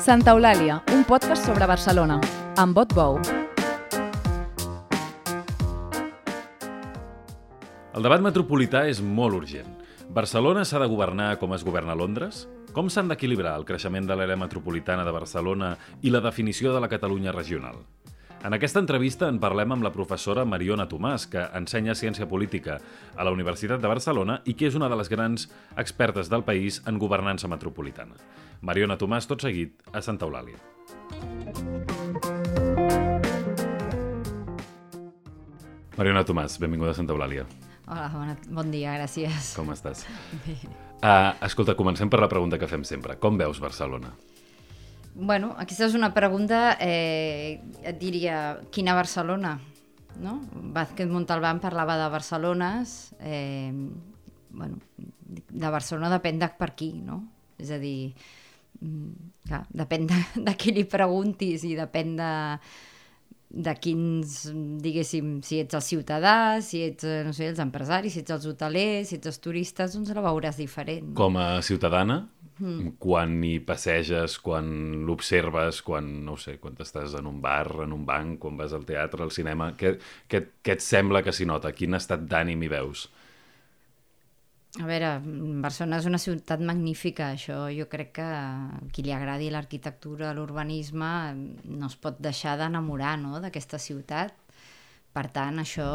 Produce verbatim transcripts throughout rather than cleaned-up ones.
Santa Eulàlia, un podcast sobre Barcelona, amb Bot Bou. El debat metropolità és molt urgent. Barcelona s'ha de governar com es governa Londres? Com s'han d'equilibrar el creixement de l'àrea metropolitana de Barcelona i la definició de la Catalunya regional? En aquesta entrevista en parlem amb la professora Mariona Tomàs, que ensenya Ciència Política a la Universitat de Barcelona i que és una de les grans expertes del país en governança metropolitana. Mariona Tomàs, tot seguit, a Santa Eulàlia. Mariona Tomàs, benvinguda a Santa Eulàlia. Hola, bona, bon dia, gràcies. Com estàs? Bé. Uh, escolta, comencem per la pregunta que fem sempre. Com veus Barcelona? Bueno, aquesta és una pregunta, eh, et diria, quina Barcelona? No? Vázquez Montalbán parlava de Barcelones, eh, bueno, de Barcelona depèn de per qui, no? És a dir, clar, depèn de, de qui li preguntis i depèn de, de quins, diguéssim, si ets el ciutadà, si ets, no sé, els empresaris, si ets els hotelers, si ets els turistes, doncs la veuràs diferent. No? Com a ciutadana, mm. quan hi passeges, quan l'observes, quan, no ho sé, quan estàs en un bar, en un banc, quan vas al teatre, al cinema, què, què, què et sembla que s'hi nota? Quin estat d'ànim hi veus? A veure, Barcelona és una ciutat magnífica, això jo crec que a qui li agradi l'arquitectura, l'urbanisme, no es pot deixar d'enamorar, no?, d'aquesta ciutat. Per tant, això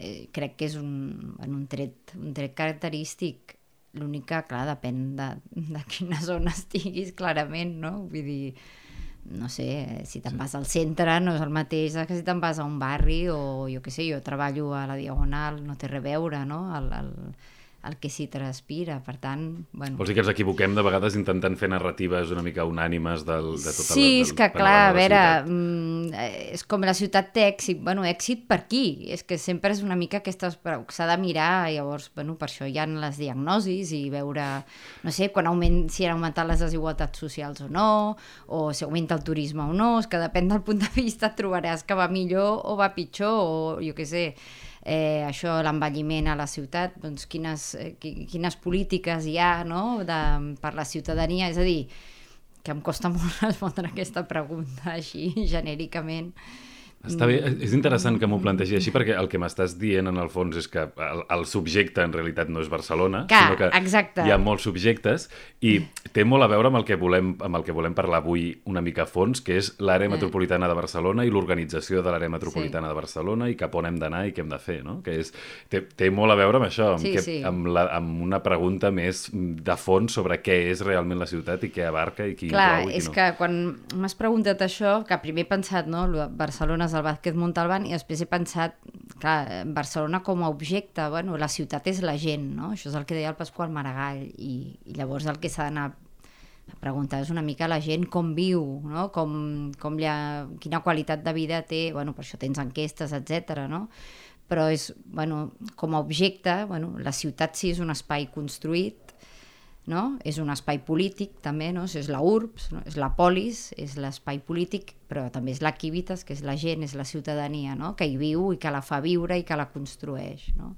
eh, crec que és un, un, tret, un tret característic. L'únic que, clar, depèn de, de quina zona estiguis, clarament, no? Vull dir, no sé, si te'n vas al centre no és el mateix que si te'n vas a un barri o, jo què sé, jo treballo a la Diagonal, no té res a veure, no?, el... el el que s'hi transpira, per tant... Bueno. Vols dir que ens equivoquem de vegades intentant fer narratives una mica unànimes del, de tota sí, la, del, és que clar, a veure, mm, és com la ciutat té èxit, bueno, èxit per qui? És que sempre és una mica aquesta... s'ha de mirar, llavors, bueno, per això hi ha les diagnosis i veure, no sé, quan augment, si han augmentat les desigualtats socials o no, o si augmenta el turisme o no, és que depèn del punt de vista et trobaràs que va millor o va pitjor, o jo què sé... Eh, això, l'envelliment a la ciutat, doncs quines, eh, quines polítiques hi ha, no?, de, per la ciutadania, és a dir, que em costa molt respondre aquesta pregunta així genèricament. Està bé, és interessant que m'ho plantegi així perquè el que m'estàs dient en el fons és que el, el subjecte en realitat no és Barcelona, que, sinó que exacte. Hi ha molts subjectes i té molt a veure amb el que volem, amb el que volem parlar avui una mica a fons, que és l'àrea metropolitana de Barcelona i l'organització de l'àrea metropolitana sí. de Barcelona i cap on hem d'anar i què hem de fer, no? Que és, té, té molt a veure amb això, amb, sí, que, sí. amb, la, amb una pregunta més de fons sobre què és realment la ciutat i què abarca i qui Clar, inclou i qui és no. que quan m'has preguntat això, que primer he pensat, no?, Barcelona és el Vázquez Montalbán, i després he pensat, clar, Barcelona com a objecte, bueno, la ciutat és la gent, no? Això és el que deia el Pasqual Maragall, i, i llavors el que s'ha d'anar a preguntar és una mica la gent com viu, no? Com, com ha, quina qualitat de vida té, bueno, per això tens enquestes, etcètera, no? Però és, bueno, com a objecte, bueno, la ciutat sí és un espai construït, no? És un espai polític també, no? És la urbs, no? És la polis, és l'espai polític, però també és l'activitas, que és la gent, és la ciutadania, no? Que hi viu i que la fa viure i que la construeix, no?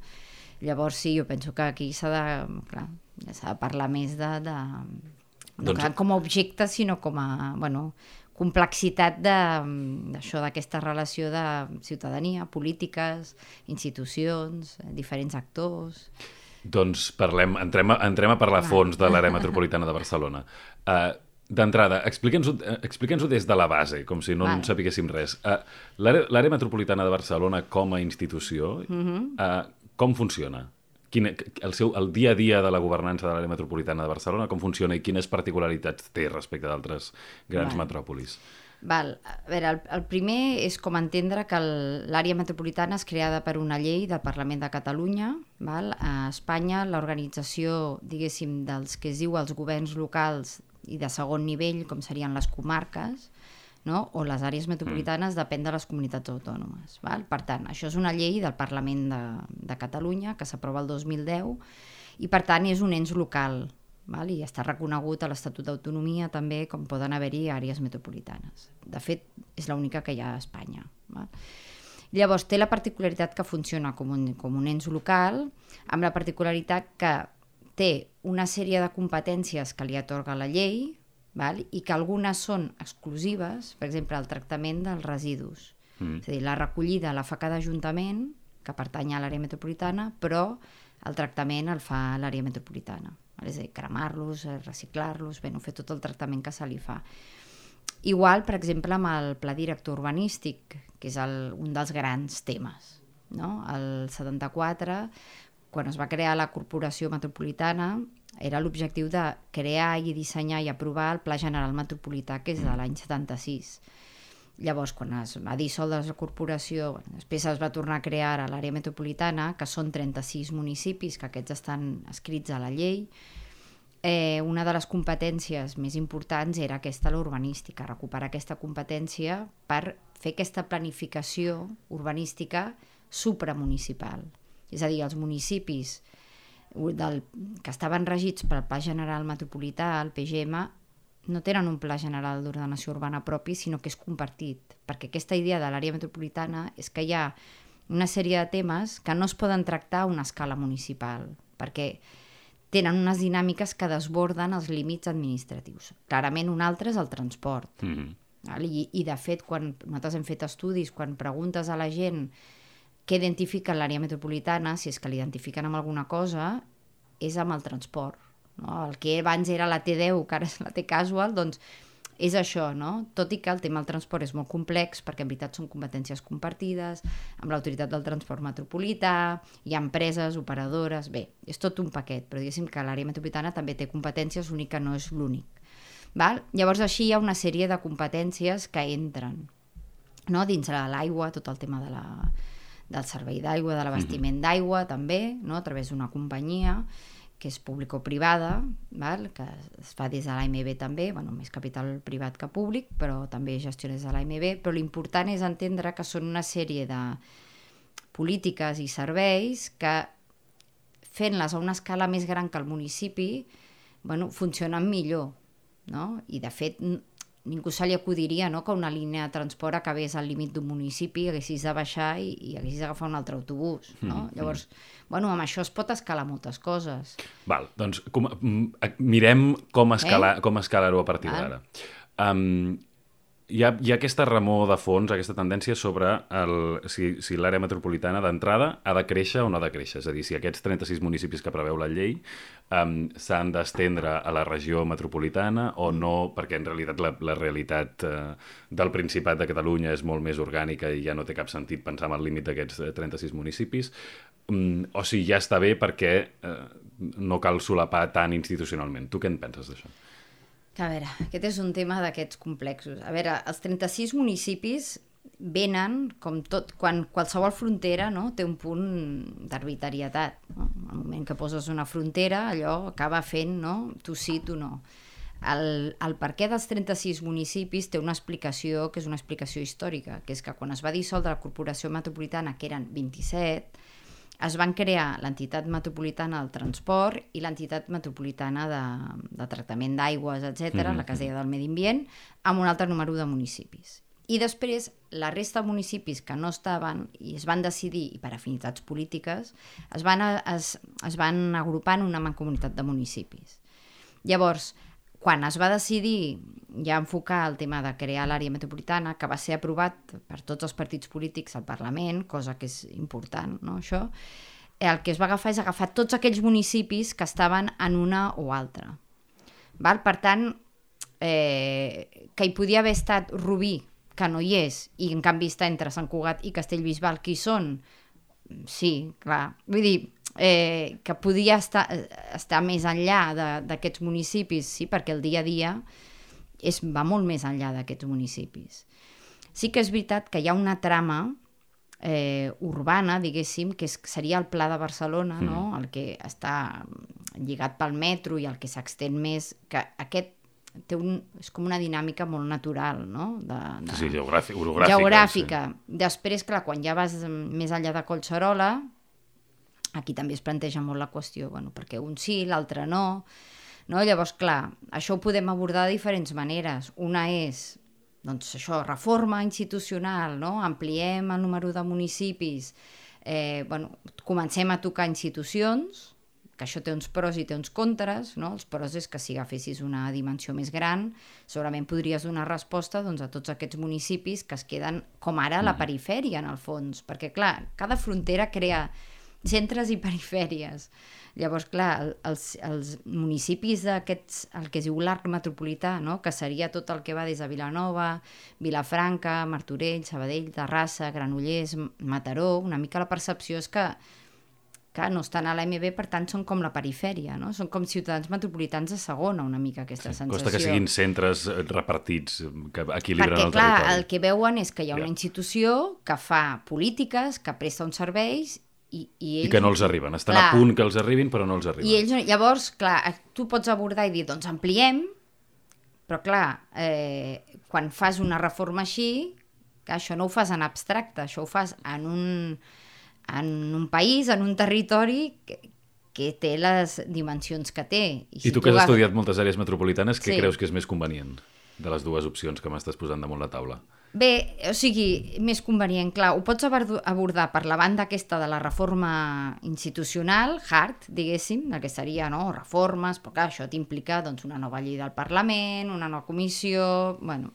Llavors sí, jo penso que aquí s'ha de, clar, s'ha de parlar més de, de no doncs... com a objecte, sinó com a, bueno, complexitat d'això, d'aquesta relació de ciutadania, polítiques, institucions, diferents actors. Doncs parlem, entrem, a, entrem a parlar a fons de l'àrea metropolitana de Barcelona. Uh, D'entrada, explica'ns-ho explica des de la base, com si no en sapiguéssim res. Uh, l'àrea metropolitana de Barcelona com a institució, uh-huh. uh, com funciona? Quin, el, seu, el dia a dia de la governança de l'àrea metropolitana de Barcelona, com funciona i quines particularitats té respecte d'altres grans Val. metròpolis? Val. A veure, el, el primer és com entendre que l'àrea metropolitana és creada per una llei del Parlament de Catalunya. Val? A Espanya, l'organització, diguéssim, dels que es diu els governs locals i de segon nivell, com serien les comarques, no? O les àrees metropolitanes, mm. depèn de les comunitats autònomes. Val? Per tant, això és una llei del Parlament de, de Catalunya que s'aprova el dos mil deu i, per tant, és un ens local. Val? I està reconegut a l'Estatut d'Autonomia també com poden haver-hi àrees metropolitanes. De fet, és l'única que hi ha a Espanya. Val? Llavors, té la particularitat que funciona com un, com un ens local, amb la particularitat que té una sèrie de competències que li atorga la llei, val? I que algunes són exclusives, per exemple, el tractament dels residus. Mm. És a dir, la recollida la fa cada ajuntament, que pertany a l'àrea metropolitana, però el tractament el fa l'àrea metropolitana. Val? És a dir, cremar-los, reciclar-los, bé, no fer tot el tractament que se li fa. Igual, per exemple, amb el pla director urbanístic, que és el, un dels grans temes. No? El setanta-quatre, quan es va crear la Corporació Metropolitana, era l'objectiu de crear i dissenyar i aprovar el Pla General Metropolità, que és de l'any setanta-sis. Llavors, quan es va dissoldre la corporació, bueno, després es va tornar a crear a l'àrea metropolitana, que són trenta-sis municipis, que aquests estan escrits a la llei. Eh, una de les competències més importants era aquesta, l'urbanística, recuperar aquesta competència per fer aquesta planificació urbanística supramunicipal. És a dir, els municipis del, que estaven regits pel Pla General Metropolità, el P G M, no tenen un pla general d'ordenació urbana propi, sinó que és compartit, perquè aquesta idea de l'àrea metropolitana és que hi ha una sèrie de temes que no es poden tractar a una escala municipal, perquè tenen unes dinàmiques que desborden els límits administratius. Clarament un altre és el transport. Mm-hmm. I, I de fet, quan nosaltres hem fet estudis, quan preguntes a la gent què identifica l'àrea metropolitana, si és que l'identifiquen amb alguna cosa, és amb el transport. No? El que abans era la T deu, que ara és la T casual, doncs és això, no? Tot i que el tema del transport és molt complex, perquè en veritat són competències compartides, amb l'autoritat del transport metropolità, hi ha empreses, operadores, bé, és tot un paquet, però diguéssim que l'àrea metropolitana també té competències, l'únic que no és l'únic. Val? Llavors així hi ha una sèrie de competències que entren, no? Dins de l'aigua, tot el tema de la, del servei d'aigua, de l'abastiment d'aigua també, no? A través d'una companyia que és público-privada, val? Que es fa des de l'A M B també, bueno, més capital privat que públic, però també gestiona des de l'A M B, però l'important és entendre que són una sèrie de polítiques i serveis que, fent-les a una escala més gran que el municipi, bueno, funcionen millor, no? I de fet ningú se li acudiria, no?, que una línia de transport acabés al límit d'un municipi, haguessis de baixar i, i haguessis d'agafar un altre autobús, no? Mm, Llavors, mm. bueno, amb això es pot escalar moltes coses. Val, doncs com, mirem com escalar, eh? com escalar-ho a partir d'ara. Um, hi, ha, hi ha aquesta remor de fons, aquesta tendència sobre el, si, si l'àrea metropolitana d'entrada ha de créixer o no ha de créixer. És a dir, si aquests trenta-sis municipis que preveu la llei um, s'han d'estendre a la regió metropolitana o no, perquè en realitat la, la realitat uh, del Principat de Catalunya és molt més orgànica i ja no té cap sentit pensar en el límit d'aquests trenta-sis municipis, um, o si ja està bé perquè uh, no cal solapar tant institucionalment. Tu què en penses d'això? A veure, aquest és un tema d'aquests complexos. A veure, els trenta-sis municipis venen, com tot, quan qualsevol frontera, no?, té un punt d'arbitrarietat. No? Al moment que poses una frontera, allò acaba fent, no?, tu sí, tu no. El, el perquè dels trenta-sis municipis té una explicació que és una explicació històrica, que és que quan es va dissoldre la Corporació Metropolitana, que eren vint-i-set, es van crear l'entitat metropolitana del transport i l'entitat metropolitana de, de tractament d'aigües, etcètera, mm-hmm. la que es deia del medi ambient, amb un altre número de municipis. I després, la resta de municipis que no estaven i es van decidir, i per afinitats polítiques, es van, es, es van agrupar en una mancomunitat de municipis. Llavors, quan es va decidir ja enfocar el tema de crear l'àrea metropolitana, que va ser aprovat per tots els partits polítics al Parlament, cosa que és important, no, això, el que es va agafar és agafar tots aquells municipis que estaven en una o altra. Val? Per tant, eh, que hi podia haver estat Rubí, que no hi és, i en canvi està entre Sant Cugat i Castellbisbal, qui són? Sí, clar. Vull dir, eh, que podia estar, estar més enllà d'aquests municipis, sí, perquè el dia a dia és, va molt més enllà d'aquests municipis. Sí que és veritat que hi ha una trama eh, urbana, diguéssim, que és, seria el Pla de Barcelona, mm. no?, el que està lligat pel metro i el que s'extén més, que aquest té un, és com una dinàmica molt natural, no? De, de, sí, sí, geogràfica. Orogràfica. geogràfica. Sí. Després, clar, quan ja vas més enllà de Collserola, aquí també es planteja molt la qüestió, bueno, perquè un sí, l'altre no, no? Llavors, clar, això ho podem abordar de diferents maneres. Una és, doncs això, reforma institucional, no? Ampliem el número de municipis, eh, bueno, comencem a tocar institucions, que això té uns pros i té uns contres, no? Els pros és que si agafessis una dimensió més gran, segurament podries donar resposta doncs, a tots aquests municipis que es queden, com ara, a la perifèria, en el fons, perquè, clar, cada frontera crea centres i perifèries. Llavors, clar, els, els municipis d'aquests, el que es diu l'arc metropolità, no? Que seria tot el que va des de Vilanova, Vilafranca, Martorell, Sabadell, Terrassa, Granollers, Mataró, una mica la percepció és que, que no estan a l'A M B, per tant són com la perifèria, no? Són com ciutadans metropolitans de segona, una mica aquesta sí, sensació. Costa que siguin centres repartits, que equilibren perquè, el clar, territori. el que veuen és que hi ha una Ja. institució que fa polítiques, que presta uns serveis I, i, ells, I que no els arriben, estan clar, a punt que els arribin però no els arriben. I ells, llavors, clar, tu pots abordar i dir, doncs ampliem, però clar, eh, quan fas una reforma així, que això no ho fas en abstracte, això ho fas en un, en un país, en un territori que, que té les dimensions que té. I, si I tu que has agafes... estudiat moltes àrees metropolitanes, què sí. creus que és més convenient de les dues opcions que m'estàs posant damunt la taula? Bé, o sigui, més convenient, clar, ho pots abordar per la banda aquesta de la reforma institucional, hard, diguéssim, el que seria, no?, reformes, però clar, això t'implica doncs, una nova llei del Parlament, una nova comissió, bueno,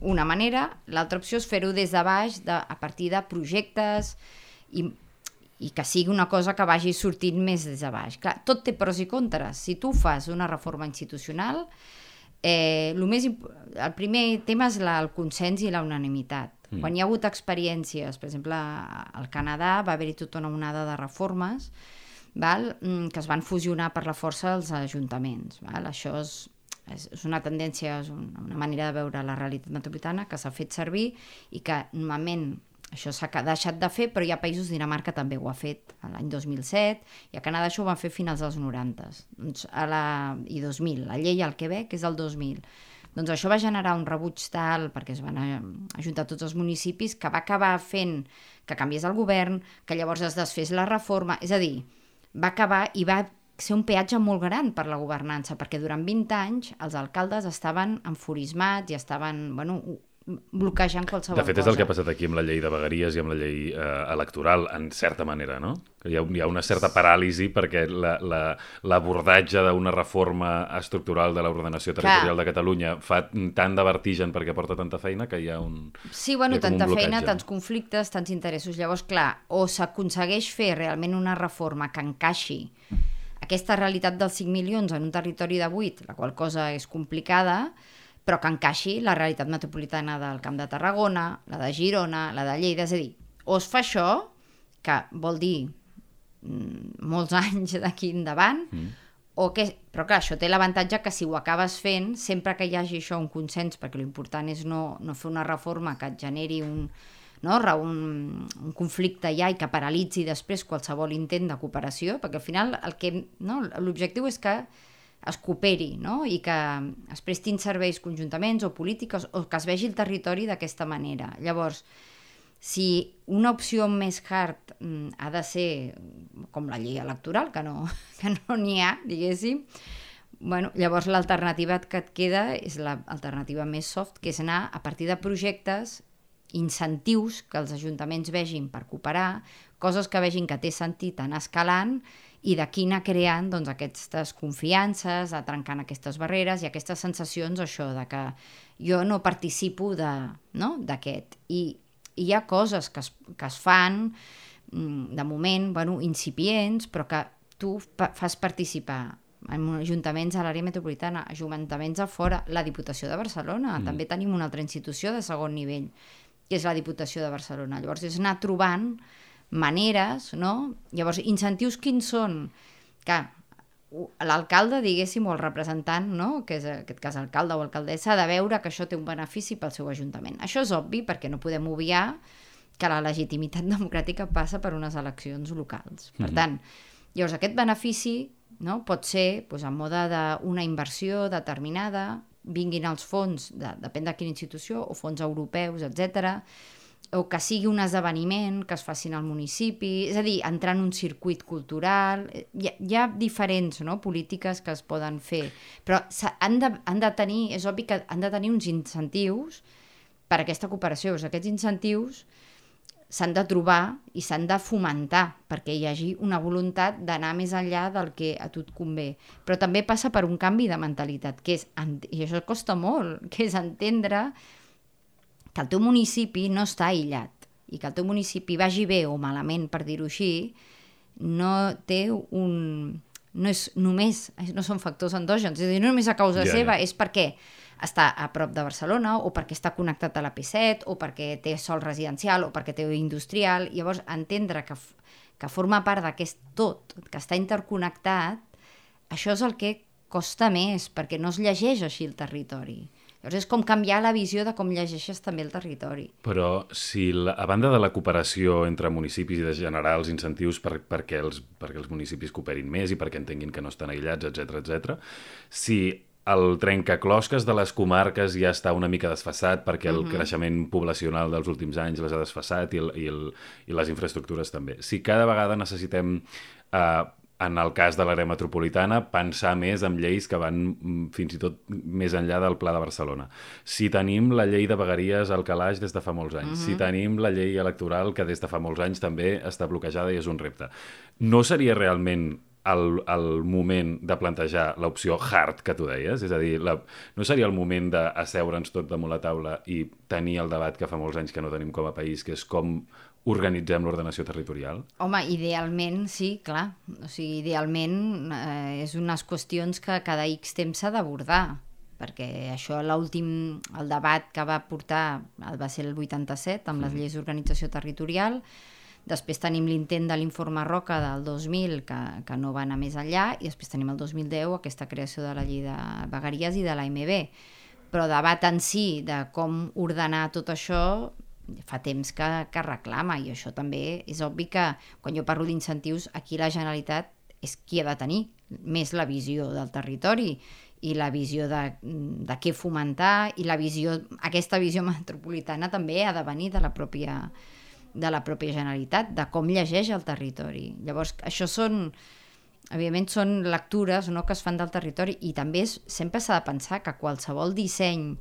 una manera. L'altra opció és fer-ho des de baix, de, a partir de projectes, i, i que sigui una cosa que vagi sortint més des de baix. Clar, tot té pros i contres. Si tu fas una reforma institucional, Eh, el, més imp... el primer tema és la, el consens i la unanimitat. Mm. Quan hi ha hagut experiències, per exemple, al Canadà va haver-hi tota una onada de reformes, val? Que es van fusionar per la força dels ajuntaments. Val? Això és, és, és una tendència, és una manera de veure la realitat metropolitana que s'ha fet servir i que normalment això s'ha deixat de fer, però hi ha països, Dinamarca també ho ha fet l'any dos mil set, i a Canadà això ho van fer a finals dels noranta, doncs a la, i dos mil, la llei al Quebec és del dos mil. Doncs això va generar un rebuig tal, perquè es van ajuntar tots els municipis, que va acabar fent que canviés el govern, que llavors es desfés la reforma, és a dir, va acabar i va ser un peatge molt gran per la governança, perquè durant vint anys els alcaldes estaven enfurismats i estaven, bueno, bloquejant qualsevol cosa. De fet, és el que ha passat aquí amb la llei de vegueries i amb la llei eh, electoral, en certa manera, no? Que hi ha, hi ha una certa paràlisi perquè l'abordatge la, la, d'una reforma estructural de l'ordenació territorial Clar. de Catalunya fa tant de vertigen perquè porta tanta feina que hi ha un Sí, bueno, ha tanta feina, tants conflictes, tants interessos. Llavors, clar, o s'aconsegueix fer realment una reforma que encaixi aquesta realitat dels cinc milions en un territori de vuit, la qual cosa és complicada, però que encaixi la realitat metropolitana del Camp de Tarragona, la de Girona, la de Lleida, és a dir, o es fa això, que vol dir mm, molts anys d'aquí endavant, mm. o que, però clar, això té l'avantatge que si ho acabes fent, sempre que hi hagi això un consens, perquè l'important és no, no fer una reforma que et generi un, no, un, un conflicte ja i que paralitzi després qualsevol intent de cooperació, perquè al final el que, no, l'objectiu és que es cooperi, no? I que es prestin serveis conjuntaments o polítiques o que es vegi el territori d'aquesta manera. Llavors, si una opció més hard mm, ha de ser com la llei electoral, que no que no n'hi ha, diguéssim, bueno, llavors l'alternativa que et queda és l'alternativa més soft, que és anar a partir de projectes, incentius que els ajuntaments vegin per cooperar, coses que vegin que té sentit anar escalant i d'aquí anar creant doncs, aquestes confiances, a trencant aquestes barreres i aquestes sensacions, això, de que jo no participo de, no? d'aquest. I, I hi ha coses que es, que es fan, de moment, bueno, incipients, però que tu pa- fas participar en ajuntaments a l'àrea metropolitana, ajuntaments a fora, la Diputació de Barcelona, mm. també tenim una altra institució de segon nivell, que és la Diputació de Barcelona. Llavors és anar trobant maneres, no? Llavors, incentius quins són? Que l'alcalde, diguéssim, o el representant, no? Que és en aquest cas alcalde o alcaldessa, ha de veure que això té un benefici pel seu ajuntament. Això és obvi perquè no podem obviar que la legitimitat democràtica passa per unes eleccions locals. Per tant, llavors aquest benefici, no? Pot ser doncs, en mode d'una inversió determinada, vinguin els fons, de, depèn de quina institució, o fons europeus, etcètera, o que sigui un esdeveniment que es facin al municipi, és a dir, entrar en un circuit cultural. Hi ha, hi ha diferents, no? polítiques que es poden fer, però han de, han de tenir, és obvi que han de tenir uns incentius per a aquesta cooperació. Aquests incentius s'han de trobar i s'han de fomentar perquè hi hagi una voluntat d'anar més enllà del que a tu et convé. Però també passa per un canvi de mentalitat, que és, i això costa molt, que és entendre que el teu municipi no està aïllat i que el teu municipi vagi bé o malament, per dir-ho així, no té un... no és només, no són factors endògens, és a dir, no només a causa ja, seva, ja. és perquè està a prop de Barcelona o perquè està connectat a la P set o perquè té sòl residencial o perquè té industrial. Llavors, entendre que, que forma part d'aquest tot, que està interconnectat, això és el que costa més, perquè no es llegeix així el territori. Llavors és com canviar la visió de com llegeixes també el territori. Però si la, a banda de la cooperació entre municipis i de generar els incentius per, perquè, els, perquè els municipis cooperin més i perquè entenguin que no estan aïllats, etcètera, etcètera, si el trencaclosques de les comarques ja està una mica desfasat perquè el uh-huh. creixement poblacional dels últims anys les ha desfasat i, el, i, el, i les infraestructures també. Si cada vegada necessitem... Eh, en el cas de l'àrea metropolitana, pensar més en lleis que van fins i tot més enllà del Pla de Barcelona. Si tenim la llei de vegueries al calaix des de fa molts anys, uh-huh. si tenim la llei electoral que des de fa molts anys també està bloquejada i és un repte, no seria realment el, el moment de plantejar l'opció hard que tu deies? És a dir, la, no seria el moment d'asseure'ns tot damunt la taula i tenir el debat que fa molts anys que no tenim com a país, que és com organitzem l'ordenació territorial? Home, idealment, sí, clar. O sigui, idealment eh, és unes qüestions que cada X temps s'ha d'abordar, perquè això, l'últim, el debat que va portar va ser el vuitanta-set, amb les lleis d'organització territorial. Després tenim l'intent de l'informe Roca del dos mil, que, que no va anar més enllà, i després tenim el dos mil deu, aquesta creació de la llei de vegueries i de l'A M B. Però debat en si de com ordenar tot això fa temps que, que reclama, i això també és obvi que quan jo parlo d'incentius, aquí la Generalitat és qui ha de tenir més la visió del territori i la visió de, de què fomentar, i la visió, aquesta visió metropolitana també ha de venir de la pròpia, de la pròpia Generalitat, de com llegeix el territori. Llavors, això són, evidentment, són lectures, no?, que es fan del territori, i també és, sempre s'ha de pensar que qualsevol disseny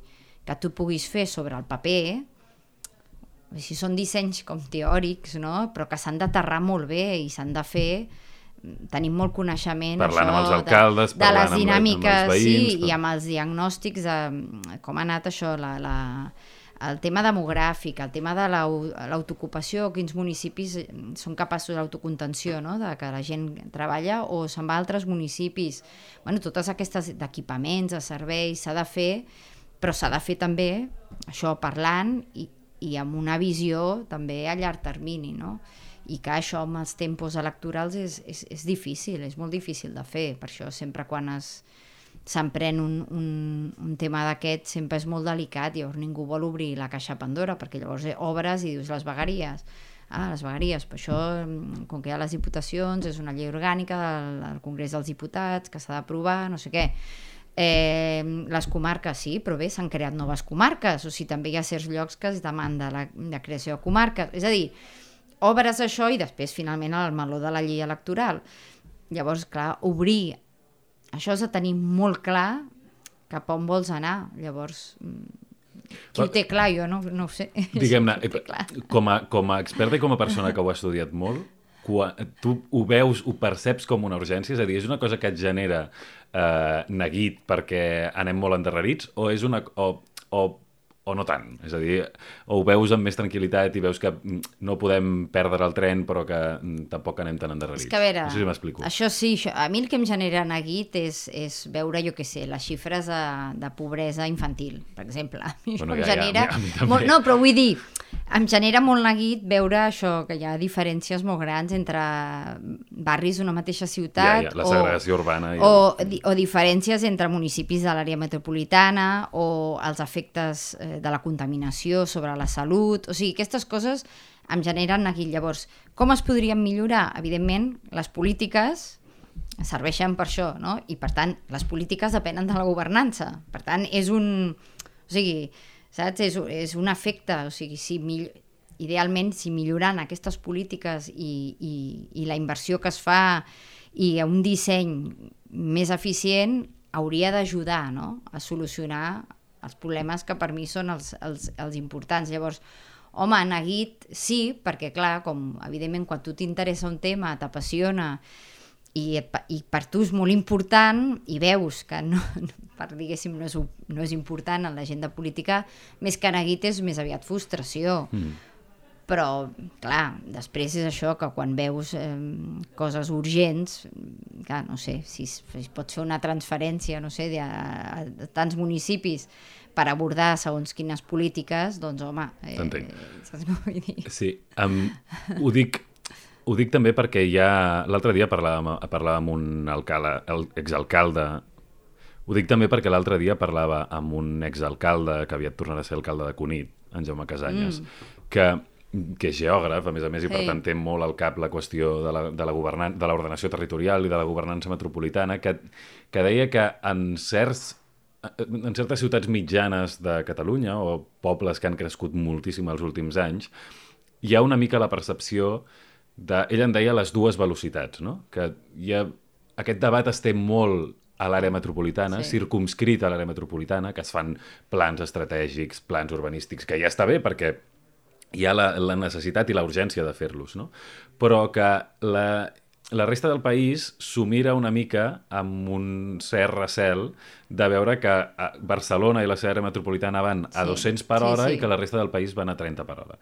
que tu puguis fer sobre el paper, si són dissenys com teòrics, no?, però que s'han d'aterrar molt bé i s'han de fer, tenim molt coneixement parlant això, amb els alcaldes, de, de les dinàmiques, amb els veïns, sí, però... i amb els diagnòstics de com ha anat això, la, la, el tema demogràfic, el tema de l'autoocupació, quins municipis són capaços d'autocontenció, no?, de que la gent treballa o se'n va a altres municipis. Bueno, totes aquestes d'equipaments, de serveis, s'ha de fer, però s'ha de fer també això parlant i i amb una visió també a llarg termini, no? I que això amb els tempos electorals és, és, és difícil, és molt difícil de fer. Per això sempre quan es s'emprèn un, un, un tema d'aquest sempre és molt delicat, llavors ningú vol obrir la caixa Pandora, perquè llavors obres i dius les vegueries. Ah, les vegueries, però això, com que hi ha les diputacions, és una llei orgànica del, del Congrés dels Diputats que s'ha d'aprovar, no sé què. Eh, les comarques sí, però bé, s'han creat noves comarques, o sigui, també hi ha certs llocs que es demanda la, la creació de comarques, és a dir, obres això i després finalment el meló de la llei electoral. Llavors, clar, obrir això és de tenir molt clar cap on vols anar. Llavors, qui ho té clar? Jo no, no ho sé. Diguem-ne, com, a, com a experta i com a persona que ho ha estudiat molt, quan tu ho veus, ho perceps com una urgència? És a dir, és una cosa que et genera eh, neguit perquè anem molt endarrerits, o és una... O, o, o no tant? És a dir, o ho veus amb més tranquil·litat i veus que no podem perdre el tren però que tampoc anem tan endarrerits? És que a veure, no sé si m'explico. Això sí, això, a mi el que em genera neguit és, és veure, jo què sé, les xifres de, de pobresa infantil, per exemple. Bueno, ja, genera... ja, ja, molt, no, però vull dir, em genera molt neguit veure això, que hi ha diferències molt grans entre barris d'una mateixa ciutat, ja, ja, la segregació o, urbana i... o, o diferències entre municipis de l'àrea metropolitana, o els efectes eh, de la contaminació sobre la salut. O sigui, aquestes coses em generen neguit. Llavors, com es podrien millorar? Evidentment, les polítiques serveixen per això, no? I per tant, les polítiques depenen de la governança. Per tant, és un... O sigui, saps? És, és un efecte. O sigui, si mill... idealment, si millorant aquestes polítiques i, i, i la inversió que es fa i un disseny més eficient hauria d'ajudar, no?, a solucionar els problemes que per mi són els, els, els importants. Llavors, Home, neguit sí, perquè clar, com evidentment quan tu t'interessa un tema, t'apassiona i, i per tu és molt important i veus que no, per diguéssim no és, no és important en l'agenda política, més que neguit és més aviat frustració. Mm. Però, clar, després és això que quan veus eh, coses urgents, clar, no sé, si, si pots fer una transferència, no sé, de, a, a tants municipis per abordar segons quines polítiques, doncs, home... Eh, T'entenc. Saps com vull dir? Sí, um, ho dic... Ho dic també perquè ja... L'altre dia parlàvem, parlàvem amb un alcalde, el exalcalde... Ho dic també perquè l'altre dia parlava amb un exalcalde que aviat tornarà a ser alcalde de Cunit, en Jaume Casanyes, mm. que... que és geògraf, a més a més, i per sí. tant té molt al cap la qüestió de la, de la governan- de l'ordenació territorial i de la governança metropolitana, que, que deia que en, certs, en certes ciutats mitjanes de Catalunya, o pobles que han crescut moltíssim els últims anys, hi ha una mica la percepció de... Ell en deia les dues velocitats, no? Que hi ha, aquest debat es té molt a l'àrea metropolitana, sí. circumscrit a l'àrea metropolitana, que es fan plans estratègics, plans urbanístics, que ja està bé perquè hi ha la, la necessitat i la urgència de fer-los, no? Però que la, la resta del país s'ho mira una mica amb un cert recel de veure que Barcelona i la seva àrea metropolitana van a sí. dos-cents per hora sí, sí. i que la resta del país van a trenta per hora.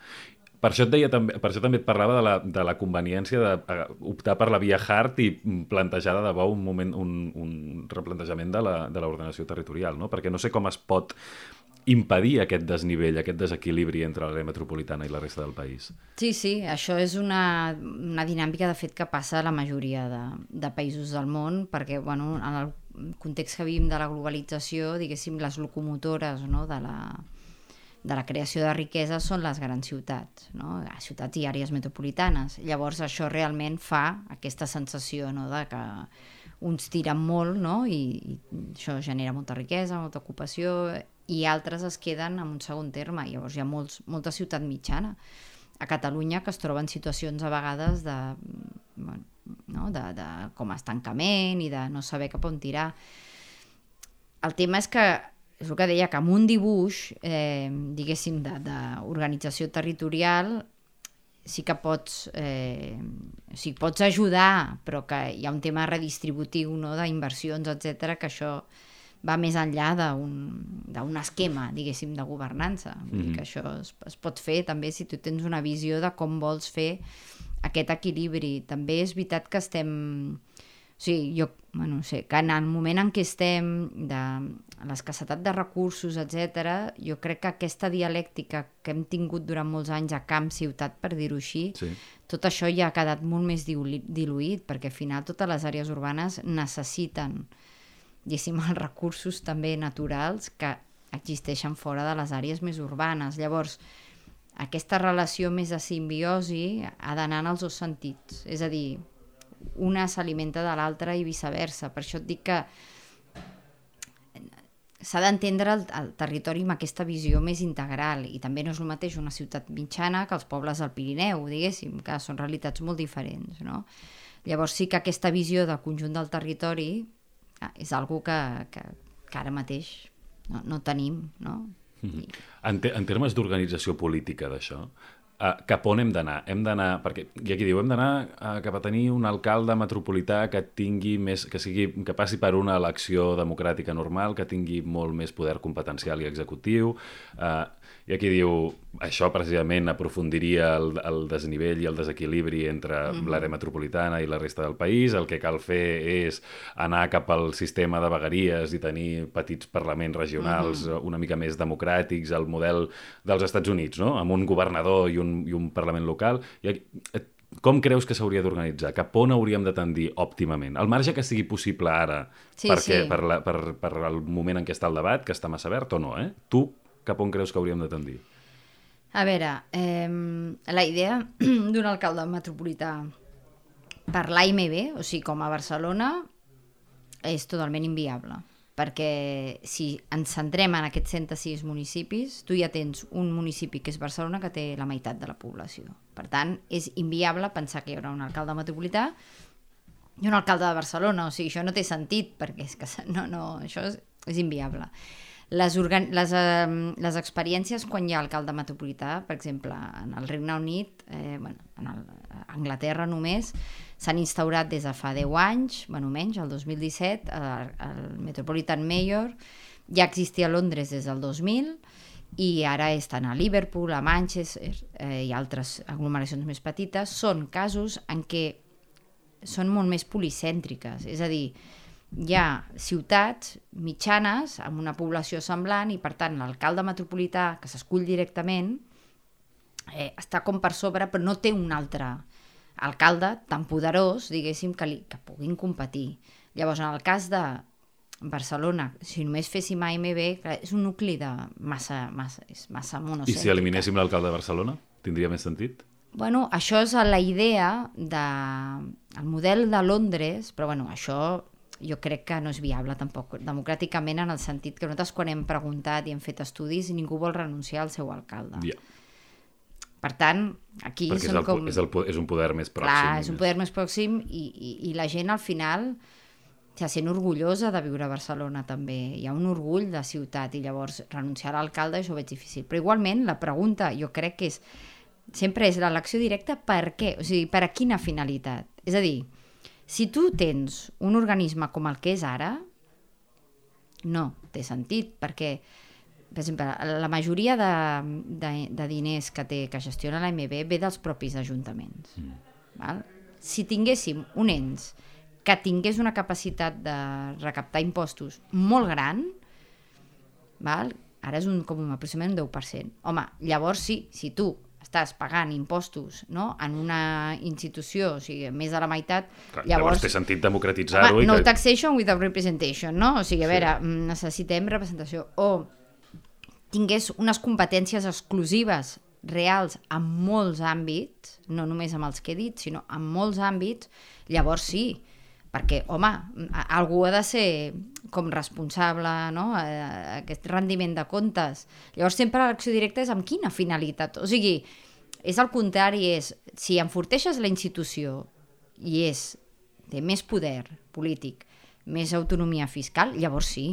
Per això et deia també, per això també et parlava de la, de la conveniència d'optar per la via hard i plantejar de debò un, moment, un, un replantejament de l'ordenació territorial, no? Perquè no sé com es pot impedir aquest desnivell, aquest desequilibri entre l'àrea metropolitana i la resta del país. Sí, sí, això és una, una dinàmica de fet que passa a la majoria de, de països del món, perquè bueno, en el context que vivim de la globalització, diguéssim, les locomotores, no, de la de la creació de riquesa són les grans ciutats, no? Ciutats i àrees metropolitanes. Llavors això realment fa aquesta sensació, no, de que uns tiren molt, no? I, i això genera molta riquesa, molta ocupació, i altres es queden en un segon terme. Llavors hi ha molts, molta ciutat mitjana a Catalunya que es troben situacions a vegades de, bueno, no? de, de com a estancament i de no saber cap on tirar. El tema és que és el que deia, que amb un dibuix, eh, diguéssim, d'organització territorial, sí que pots, eh, o sigui, pots ajudar, però que hi ha un tema redistributiu, no?, d'inversions, etcètera, que això va més enllà d'un esquema, diguéssim, de governança. Vull dir que això es, es pot fer també si tu tens una visió de com vols fer aquest equilibri. També és veritat que estem... O sigui, jo, bueno, no sé, que en el moment en què estem de l'escassetat de recursos, etcètera, jo crec que aquesta dialèctica que hem tingut durant molts anys a camp-ciutat, per dir-ho així, sí. Tot això ja ha quedat molt més diluït, perquè al final totes les àrees urbanes necessiten, diguéssim, els recursos també naturals que existeixen fora de les àrees més urbanes. Llavors, aquesta relació més de simbiosi ha d'anar en els dos sentits, és a dir, una s'alimenta de l'altra i viceversa. Per això et dic que s'ha d'entendre el, el territori amb aquesta visió més integral, i també no és el mateix una ciutat mitjana que els pobles del Pirineu, diguéssim, que són realitats molt diferents, no? Llavors sí que aquesta visió del conjunt del territori és algo que, que, que ara mateix no, no tenim, no? Mm-hmm. I... En, te, en termes d'organització política d'això, Uh, cap on hem d'anar? Hem d'anar, perquè hi ha qui diu, hem d'anar uh, cap a tenir un alcalde metropolità que tingui més, que sigui, que passi per una elecció democràtica normal, que tingui molt més poder competencial i executiu. Uh, hi ha qui diu, això precisament aprofundiria el, el desnivell i el desequilibri entre mm-hmm. l'àrea metropolitana i la resta del país. El que cal fer és anar cap al sistema de vegueries i tenir petits parlaments regionals mm-hmm. una mica més democràtics, el model dels Estats Units, no? Amb un governador i un i un Parlament local. Com creus que s'hauria d'organitzar? Cap on hauríem de tendir òptimament? Al marge que sigui possible ara, sí, perquè, sí. Per, la, per, per el moment en què està el debat, que està massa verd o no, eh? Tu, cap on creus que hauríem de tendir? A veure, eh, la idea d'un alcalde metropolità per l'A M B, o sigui, com a Barcelona, és totalment inviable. Perquè si ens centrem en aquests cent sis municipis, tu ja tens un municipi que és Barcelona que té la meitat de la població. Per tant, és inviable pensar que hi haurà un alcalde metropolità i un alcalde de Barcelona. O sigui, això no té sentit, perquè és que no, no, això és, és inviable. Les, organ... les, eh, les experiències quan hi ha alcalde metropolità, per exemple, en el Regne Unit, eh, bueno, en el, a Anglaterra només, s'han instaurat des de fa deu anys, bueno, menys, el dos mil disset, el, el Metropolitan Mayor, ja existia a Londres des del dos mil, i ara estan a Liverpool, a Manchester eh, i altres aglomeracions més petites. Són casos en què són molt més policèntriques, és a dir, hi ha ciutats mitjanes amb una població semblant i per tant l'alcalde metropolità que s'escull directament eh, està com per sobre però no té un altre alcalde tan poderós, diguéssim, que, li, que puguin competir. Llavors, en el cas de Barcelona, si només féssim A M B, és un nucli de massa, massa, és massa monocèntrica. I si eliminéssim l'alcalde de Barcelona, tindria més sentit? Bueno, això és la idea del de, model de Londres, però bueno, això jo crec que no és viable tampoc democràticament, en el sentit que nosaltres quan hem preguntat i hem fet estudis ningú vol renunciar al seu alcalde. Yeah. Per tant, aquí perquè són és, el, com... és, el, és un poder més pròxim. Clar, és un poder més pròxim i, i, i la gent al final se sent orgullosa de viure a Barcelona també. Hi ha un orgull de ciutat i llavors renunciar a l'alcalde això ho veig difícil. Però igualment la pregunta jo crec que és sempre és l'elecció directa per què? O sigui, per a quina finalitat? És a dir, si tu tens un organisme com el que és ara, no té sentit, perquè, per exemple, la majoria de, de, de diners que té, que gestiona l'A M B ve dels propis ajuntaments. Mm. Val? Si tinguéssim un ens que tingués una capacitat de recaptar impostos molt gran, val? Ara és un, com un aproximadament un deu per cent. Home, llavors sí, si tu estàs pagant impostos, no?, en una institució, o sigui, més de la meitat, Clar, llavors... llavors té sentit democratitzar-ho. Home, i no que... taxation without representation, no? O sigui, a Sí. veure, necessitem representació. O tingués unes competències exclusives reals en molts àmbits, no només amb els que he dit, sinó en molts àmbits, llavors sí, perquè, home, algú ha de ser com responsable, no?, aquest rendiment de comptes. Llavors sempre l'elecció directa és amb quina finalitat? O sigui, és el contrari, és si enforteixes la institució i és, té més poder polític, més autonomia fiscal, llavors sí.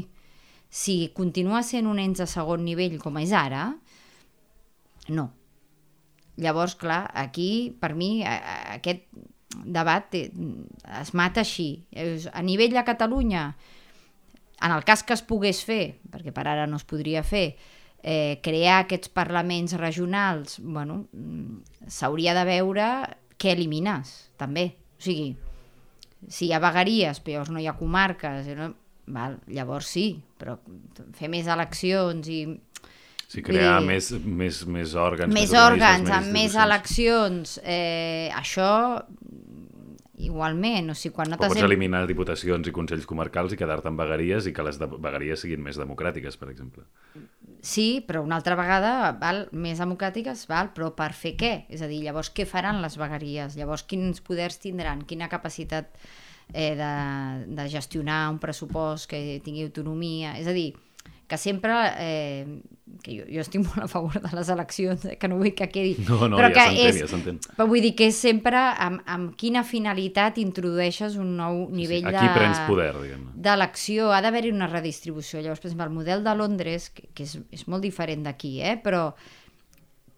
Si continua sent un ens de segon nivell com és ara, no. Llavors, clar, aquí, per mi, aquest debat es mata així. A nivell de Catalunya, en el cas que es pogués fer, perquè per ara no es podria fer, eh, crear aquests parlaments regionals, bueno, s'hauria de veure què elimines, també. O sigui, si hi ha vegueries, però llavors no hi ha comarques, no? Val, llavors sí, però fer més eleccions i... Sí, crear dir, més, més, més òrgans, més, més òrgans, amb més eleccions, eh, això igualment, o sigui, quan no t'has... Pots hem... eliminar diputacions i consells comarcals i quedar-te amb vegueries i que les de... vegueries siguin més democràtiques, per exemple. Sí, però una altra vegada, val, més democràtiques, val, però per fer què? És a dir, llavors què faran les vegueries? Llavors quins poders tindran? Quina capacitat eh, de, de gestionar un pressupost que tingui autonomia? És a dir, que sempre, eh, que jo, jo estic molt a favor de les eleccions, eh, que no vull que quedi... No, no, però ja que s'entén, és, ja s'entén. Però vull dir que és sempre amb, amb quina finalitat introdueixes un nou nivell sí, aquí de... prens poder, diguem. D'elecció, ha d'haver-hi una redistribució. Llavors, per exemple, el model de Londres, que, que és, és molt diferent d'aquí, eh, però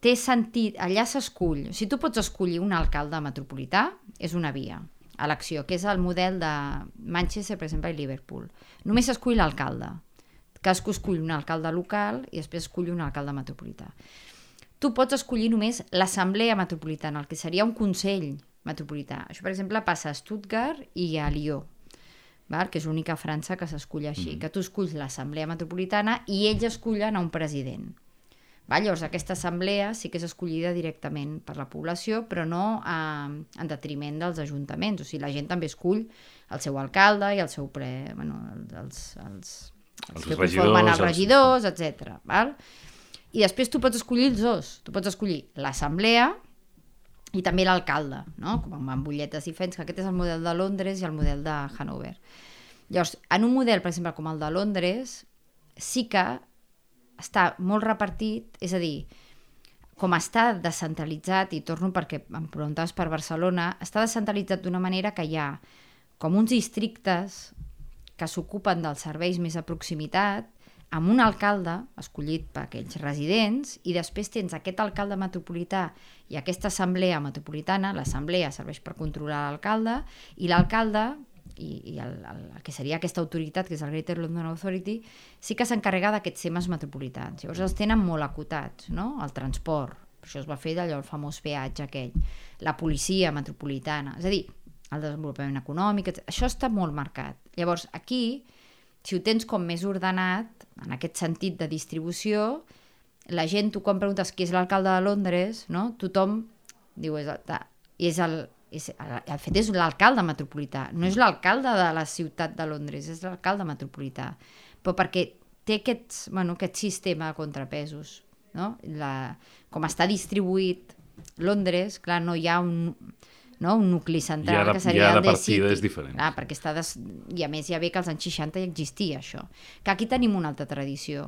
té sentit, allà s'escull, si tu pots escollir un alcalde metropolità, és una via, elecció, que és el model de Manchester, per exemple, i Liverpool. Només s'escull l'alcalde, que es escull un alcalde local i després escull un alcalde metropolità. Tu pots escollir només l'assemblea metropolitana, el que seria un consell metropolità. Això, per exemple, passa a Stuttgart i a Lió, val? Que és l'única a França que s'escull així, mm. que tu esculls l'assemblea metropolitana i ells escullen a un president. Val? Llavors, aquesta assemblea sí que és escollida directament per la població, però no a, en detriment dels ajuntaments. O sigui, la gent també escull el seu alcalde i el seu ple... Bueno, els... els els que conformen els regidors, etcètera. Val? I després tu pots escollir els dos. Tu pots escollir l'assemblea i també l'alcalde, no? Com amb butlletes diferents, que aquest és el model de Londres i el model de Hannover. Llavors, en un model, per exemple, com el de Londres, sí que està molt repartit, és a dir, com està descentralitzat, i torno perquè em preguntaves per Barcelona, està descentralitzat d'una manera que hi ha com uns districtes que s'ocupen dels serveis més a proximitat, amb un alcalde escollit per aquells residents, i després tens aquest alcalde metropolità i aquesta assemblea metropolitana. L'assemblea serveix per controlar l'alcalde, i l'alcalde i, i el, el, el que seria aquesta autoritat, que és el Greater London Authority, sí que s'encarrega d'aquests temes metropolitans. Llavors els tenen molt acotats, no? El transport, per això es va fer d'allò el famós peatge aquell, la policia metropolitana, és a dir, el desenvolupament econòmic, això està molt marcat. Llavors aquí, si ho tens com més ordenat, en aquest sentit de distribució, la gent, tu quan preguntes qui és l'alcalde de Londres, no? Tothom diu, és el, és el, és, el fet és l'alcalde metropolità, no és l'alcalde de la ciutat de Londres, és l'alcalde metropolità, però perquè té aquest, bueno, aquest sistema de contrapesos, no? La, com està distribuït Londres, clar, no hi ha un... no? un nucli central, de, que seria el de partides diferents. Clar, perquè està des... I a més ja ve que als anys seixanta ja existia això. Que aquí tenim una altra tradició.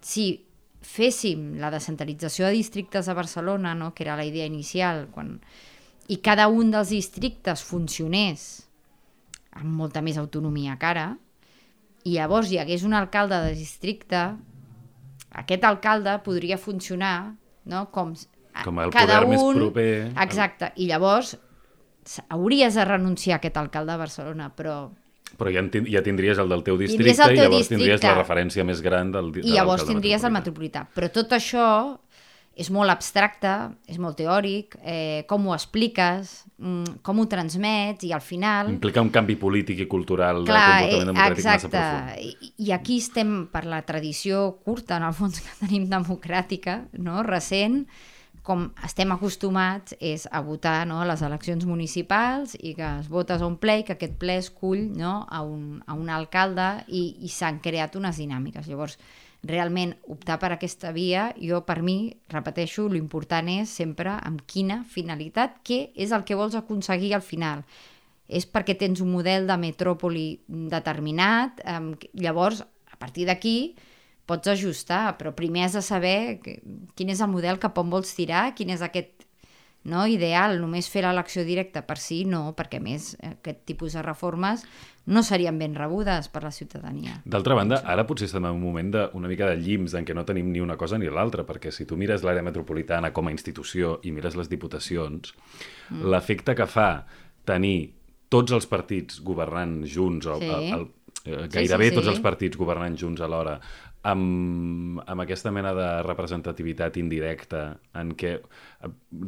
Si féssim la descentralització de districtes a Barcelona, no? Que era la idea inicial, quan... i cada un dels districtes funcionés amb molta més autonomia que ara, i llavors hi hagués un alcalde de districte, aquest alcalde podria funcionar, no? com, com el cada poder un... més proper. Exacte, i llavors hauries de renunciar a aquest alcalde de Barcelona, però... Però ja, ten, ja tindries el del teu districte el teu i llavors districte. tindries la referència més gran del, de I llavors tindries metropolità. el metropolità. Però tot això és molt abstracte, és molt teòric, eh, com ho expliques, com ho transmets, i al final... Implica un canvi polític i cultural, clar, de comportament democràtic exacte. massa profund. I, I aquí estem per la tradició curta, en el fons, que tenim democràtica, no? Recent, com estem acostumats és a votar, no? A les eleccions municipals, i que es votes a un ple i que aquest ple escull, no? a, un, a un alcalde, i, i s'han creat unes dinàmiques. Llavors, realment, optar per aquesta via, jo per mi, repeteixo, l'important és sempre amb quina finalitat, què és el que vols aconseguir al final. És perquè tens un model de metròpoli determinat, eh, llavors, a partir d'aquí, pots ajustar, però primer has de saber que, quin és el model cap on vols tirar, quin és aquest, no, ideal. Només fer l'elecció directa per si, no, perquè a més aquest tipus de reformes no serien ben rebudes per la ciutadania. D'altra banda, ara potser estem en un moment de, una mica de llims en què no tenim ni una cosa ni l'altra, perquè si tu mires l'àrea metropolitana com a institució i mires les diputacions, mm. l'efecte que fa tenir tots els partits governant junts, o, sí. el, el, gairebé sí, sí, sí. tots els partits governant junts alhora, amb, amb aquesta mena de representativitat indirecta en què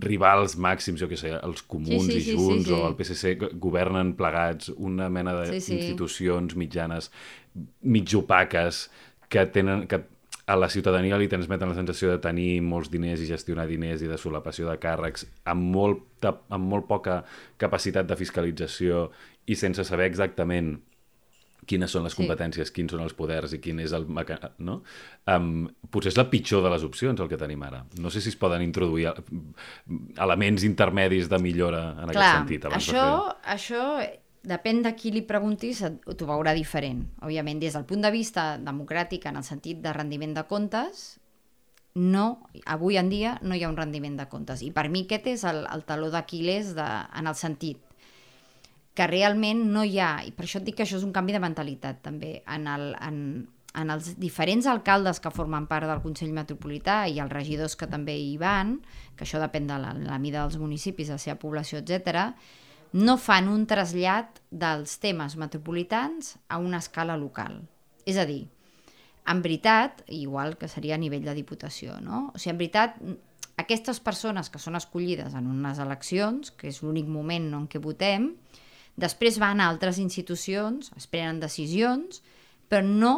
rivals màxims, jo què sé, els comuns sí, sí, i sí, Junts sí, sí. o el P S C governen plegats una mena d'institucions sí, sí. mitjanes, mig opaques, que tenen... que a la ciutadania li transmeten la sensació de tenir molts diners i gestionar diners i de solapació de càrrecs amb molt, amb molt poca capacitat de fiscalització i sense saber exactament quines són les competències, sí. quins són els poders i quin és el... No? Um, potser és la pitjor de les opcions el que tenim ara. No sé si es poden introduir elements intermedis de millora en Clar, aquest sentit. Abans això, de fer... això depèn de qui li preguntis, t'ho veurà diferent. Òbviament, des del punt de vista democràtic, en el sentit de rendiment de comptes, no, avui en dia no hi ha un rendiment de comptes. I per mi aquest és el, el taló d'Aquil·les de, en el sentit que realment no hi ha, i per això et dic que això és un canvi de mentalitat també, en, el, en, en els diferents alcaldes que formen part del Consell Metropolità i els regidors que també hi van, que això depèn de la, la mida dels municipis, de la seva població, etcètera, no fan un trasllat dels temes metropolitans a una escala local. És a dir, en veritat, igual que seria a nivell de diputació, no? O sigui, en veritat, aquestes persones que són escollides en unes eleccions, que és l'únic moment en què votem, després van a altres institucions, es prenen decisions, però no,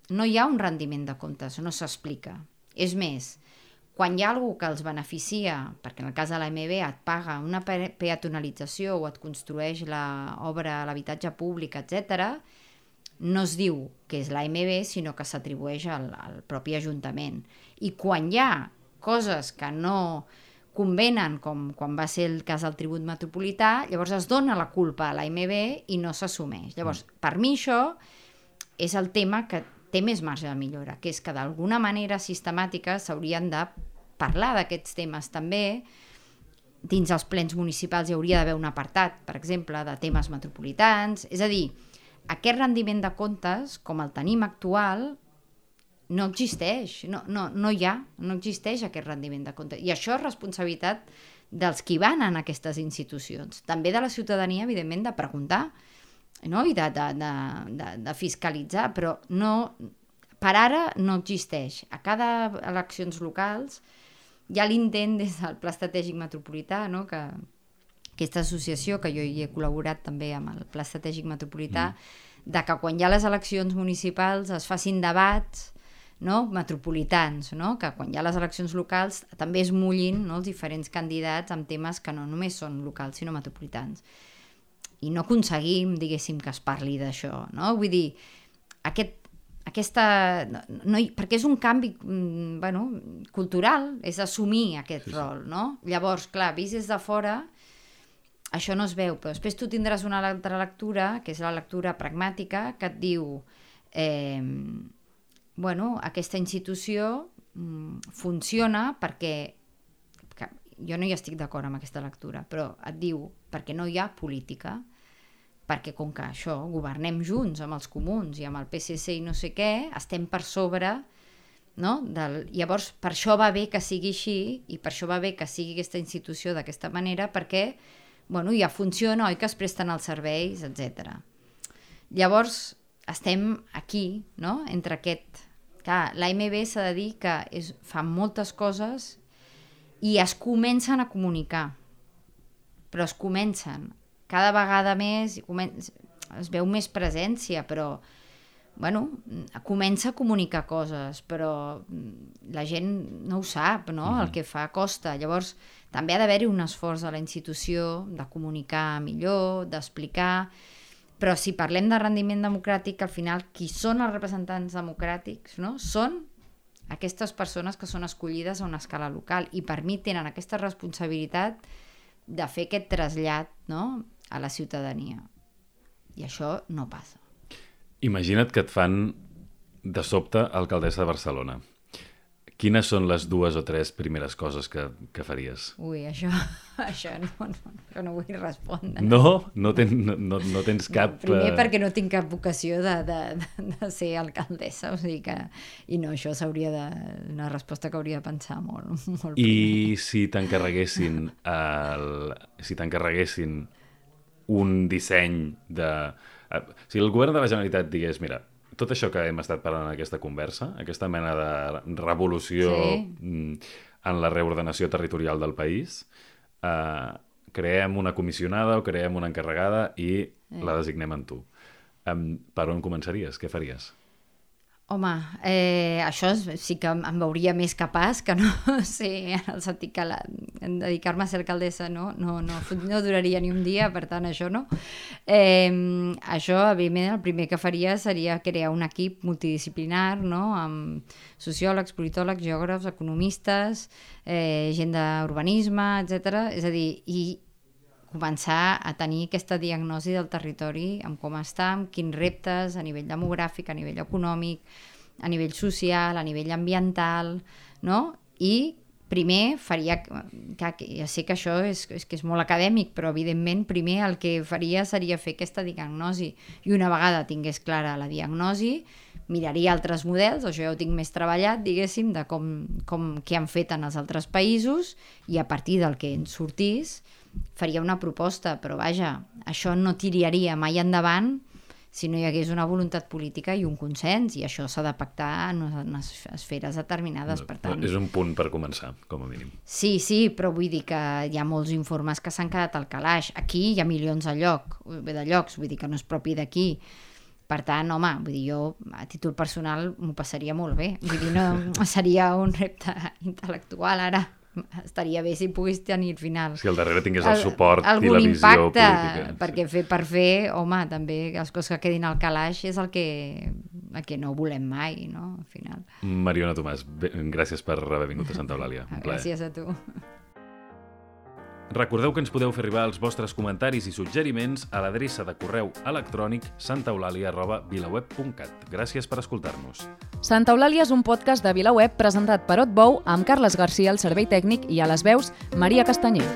no hi ha un rendiment de comptes, no s'explica. És més, quan hi ha algú que els beneficia, perquè en el cas de l'A M B et paga una peatonalització o et construeix l'obra a l'habitatge públic, etcètera, no es diu que és l'A M B, sinó que s'atribueix al, al propi Ajuntament. I quan hi ha coses que no convenen, com quan va ser el cas del tribut metropolità, llavors es dona la culpa a l'A M B i no s'assumeix. Llavors, per mi això és el tema que té més marge de millora, que és que d'alguna manera sistemàtica s'haurien de parlar d'aquests temes també. Dins els plens municipals hi hauria d'haver un apartat, per exemple, de temes metropolitans. És a dir, aquest rendiment de comptes, com el tenim actual, no existeix, no, no, no hi ha, no existeix aquest rendiment de comptes. I això és responsabilitat dels qui van en aquestes institucions. També de la ciutadania, evidentment, de preguntar, no? I de, de, de, de, de fiscalitzar, però no, per ara no existeix. A cada eleccions locals hi ha l'intent des del Pla Estratègic Metropolità, no? Que aquesta associació, que jo hi he col·laborat també amb el Pla Estratègic Metropolità, mm. de que quan hi ha les eleccions municipals es facin debats, no? Metropolitans, no? Que quan hi ha les eleccions locals també es mullin, no? Els diferents candidats amb temes que no només són locals sinó metropolitans. I no aconseguim, diguéssim, que es parli d'això, no? Vull dir, aquest aquesta, no, no, perquè és un canvi bueno, cultural, és assumir aquest sí, sí. rol, no? Llavors, clar, vist des de fora això no es veu, però després tu tindràs una altra lectura, que és la lectura pragmàtica, que et diu eh, bueno, aquesta institució mm, funciona perquè que, jo no hi estic d'acord amb aquesta lectura, però et diu perquè no hi ha política, perquè com que això, governem junts amb els comuns i amb el P S C i no sé què, estem per sobre, no? Del... Llavors, per això va bé que sigui així i per això va bé que sigui aquesta institució d'aquesta manera, perquè bueno, ja funciona, oi que es presten els serveis, etcètera. Llavors, estem aquí, no? Entre aquest... Clar, l'A M B s'ha de dir que és... fa moltes coses i es comencen a comunicar, però es comencen cada vegada més, es veu més presència, però bueno, comença a comunicar coses, però la gent no ho sap, no? Mm-hmm. El que fa costa. Llavors, també ha d'haver-hi un esforç de la institució de comunicar millor, d'explicar, però si parlem de rendiment democràtic, al final, qui són els representants democràtics, no? Són aquestes persones que són escollides a una escala local i per mi tenen aquesta responsabilitat de fer aquest trasllat, no?, a la ciutadania. I això no passa. Imagina't que et fan de sobte alcaldessa de Barcelona. Quines són les dues o tres primeres coses que, que faries? Ui, això, això no, no, això no vull respondre. No? No, ten, no, no tens cap... No, primer perquè no tinc cap vocació de, de, de ser alcaldessa, o sigui que... I no, això s'hauria de... una resposta que hauria de pensar molt, molt I primer. si t'encarreguessin el... si t'encarreguessin un disseny de... Si el govern de la Generalitat digués, mira, tot això que hem estat parlant en aquesta conversa, aquesta mena de revolució sí. en la reordenació territorial del país, eh, creem una comissionada o creem una encarregada i sí. la designem en tu. Um, per on començaries? Què faries? Home, eh, això sí que em veuria més capaç que no sé, en el sentit que la, en dedicar-me a ser alcaldessa no, no, no, no duraria ni un dia, per tant això no. Eh, això, evidentment, el primer que faria seria crear un equip multidisciplinar, no?, amb sociòlegs, politòlegs, geògrafs, economistes, eh, gent d'urbanisme, etcètera. És a dir, i començar a tenir aquesta diagnosi del territori, amb com està, amb quins reptes a nivell demogràfic, a nivell econòmic, a nivell social, a nivell ambiental, no? I primer faria, que ja sé que això és, és que és molt acadèmic, però evidentment primer el que faria seria fer aquesta diagnosi i una vegada tingués clara la diagnosi, miraria altres models, això ja ho tinc més treballat, diguéssim, de com, com què han fet en els altres països i a partir del que ens sortís faria una proposta, però vaja, això no tiraria mai endavant si no hi hagués una voluntat política i un consens, i això s'ha de pactar en unes esferes determinades, per tant... És un punt per començar, com a mínim. Sí, sí, però vull dir que hi ha molts informes que s'han quedat al calaix. Aquí hi ha milions de, lloc, de llocs, vull dir que no és propi d'aquí. Per tant, home, vull dir, jo a títol personal m'ho passaria molt bé. Vull dir, no seria un repte intel·lectual ara. Estaria bé si pogués tenir al final. Si al darrere tingués el suport el, i la visió impacte, política. Perquè fer per fer, home, també les coses que quedin al calaix és el que, el que no volem mai, no? Al final. Mariona Tomàs, bé, gràcies per haver vingut a Santa Eulàlia. Un plaer. Gràcies a tu. Recordeu que ens podeu fer arribar els vostres comentaris i suggeriments a l'adreça de correu electrònic santaeulàlia arroba vilaweb punt cat. Gràcies per escoltar-nos. Santa Eulàlia és un podcast de VilaWeb presentat per Otbou amb Carles Garcia al servei tècnic i a les veus Maria Castanyer.